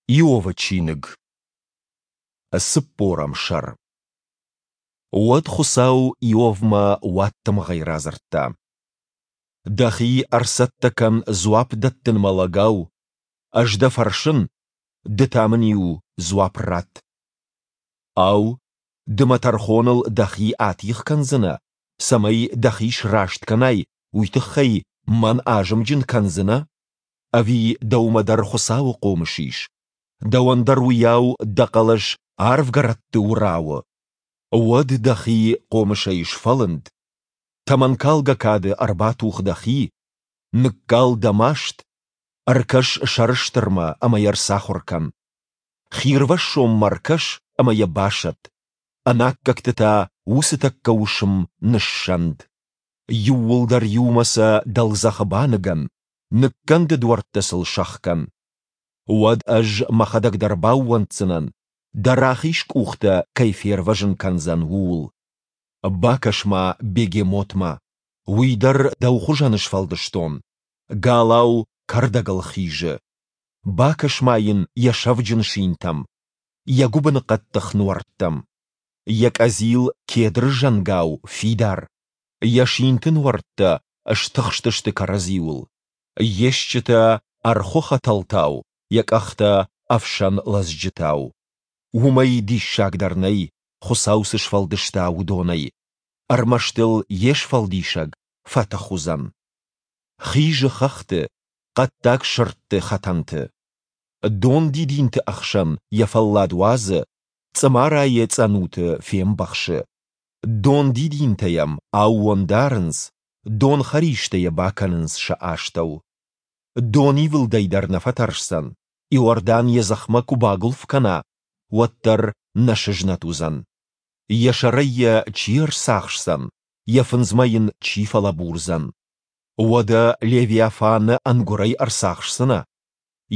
Иовы чиныг, цыппорӕм сӕр. Уӕд Хуыцау Иовмӕ уадтымыгъӕй радзырдта: Дӕхи ӕрцӕттӕ кӕн дзуапп дӕттынмӕ лӕгау. Ӕз дӕ фӕрсын, ды та мын-иу дзуапп ратт. Ау, ды мӕ тӕрхоныл дӕхи атигъ кӕндзынӕ, цӕмӕй дӕхи сраст кӕнай, уый тыххӕй мӕн азымджын кӕндзынӕ? Ӕви дӕумӕ дӕр Хуыцауы хъомыс ис? Дӕуӕн дӕр уыйау дӕ хъӕлӕс арвгӕрӕтты уырауы? Уӕд дӕхи хъомысӕй сфӕлынд, тӕмӕнкалгӕ кады ӕрбатух дӕхи, ныккал дӕ маст, ӕркӕс сӕрыстырмӕ ӕмӕ йӕ рцахуыр кӕн. Хирвӕссонмӕ ркӕс ӕмӕ йӕ басӕтт, ӕнаккӕгты та уыцы тӕккӕ уысм ныссӕнд. Иууылдӕр иумӕ сӕ дӕлдзӕхы баныгӕн, ныккӕнды дуӕрттӕ сыл сӕхгӕн. Уӕд ӕз мӕхӕдӕг дӕр баууӕнддзынӕн, дӕ рахиз къух дӕ кӕй фервӕзын кӕндзӕн, ууыл. Бакӕс-ма бегемотмӕ, уый дӕр дӕу хуызӕн сфӕлдыстон, галау кӕрдӕгыл хизы. Бакӕс-ма йын йӕ сӕвджын синтӕм, йӕ гуыбыны хъӕддых нуӕрттӕм. Йӕ къӕдзил кедры зӕнгау фидар, йӕ синты нуӕрттӕ стыхстысты кӕрӕдзиуыл. Йе стджытӕ ӕрхуы хӕтӕлтау, йӕ къӕхтӕ ӕфсӕн лӕдзджытау. Уымӕй диссагдӕр нӕй, Хуыцау цы сфӕлдыста, уыдонӕй. Ӕрмӕст ыл йе сфӕлдисӕг фӕтых уыдзӕн. Хизы хӕхты, хъӕддаг сырдты хӕтӕнты. Дон дидинты ӕхсӕн йӕ фӕллад уадзы, цъымарайы цъӕнуты фембӕхсы. Дон дидинтӕ йӕм аууон дарынц, донхӕристӕ йӕ бакӕнынц сӕ астӕу. Донивылдӕй дӕр нӕ фӕтӕрсдзӕн, Иордан йӕ дзыхмӕ куы багуылф кӕна, уӕддӕр нӕ сызнӕт уыдзӕн. Йӕ сӕрӕй йӕ чи ӕрцахсдзӕн, йӕ фындзмӕ йын чи фӕлӕбурдзӕн? Уӕдӕ Левиафаны ӕнгуырӕй ӕрцахсдзынӕ?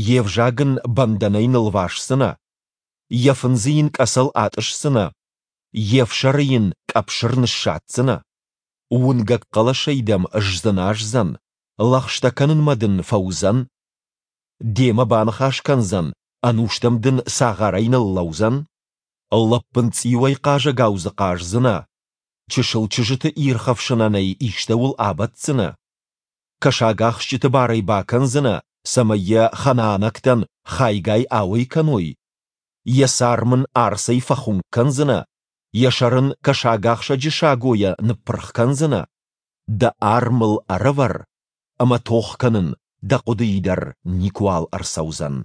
Йе взаг ын бӕндӕнӕй нылвасдзынӕ? Йӕ фындзы йын къӕцӕл атъысдзынӕ? Йе фсӕры йын къӕпсыр ныссадздзынӕ? Уынгӕг хъӕлӕсӕй дӕм сдзыназдзӕн, лӕгъстӕ кӕнынмӕ дын фӕуыдзӕн? Демӕ баныхас кӕндзӕн, ӕнустӕм дын цагъарӕй ныллӕудзӕн? Лӕппын цъиуӕй хъазӕгау дзы хъаздзынӕ? Чысыл чызджыты ирхӕфсынӕн ӕй истӕуыл абӕтдзынӕ? Кӕсагахсджыты бар ӕй бакӕндзынӕ, цӕмӕй йӕ ханаанӕгтӕн хайгай ауӕй кӕной? Йӕ царм ын арцӕй фӕхуынкъ кӕндзынӕ, йӕ сӕр ын кӕсагахсӕджы сагойӕ ныппырх кӕндзынӕ? Дӕ арм ыл ӕрӕвӕр, ӕмӕ тох кӕнын дӕ хъуыдыйы дӕр никуал ӕрцӕудзӕн.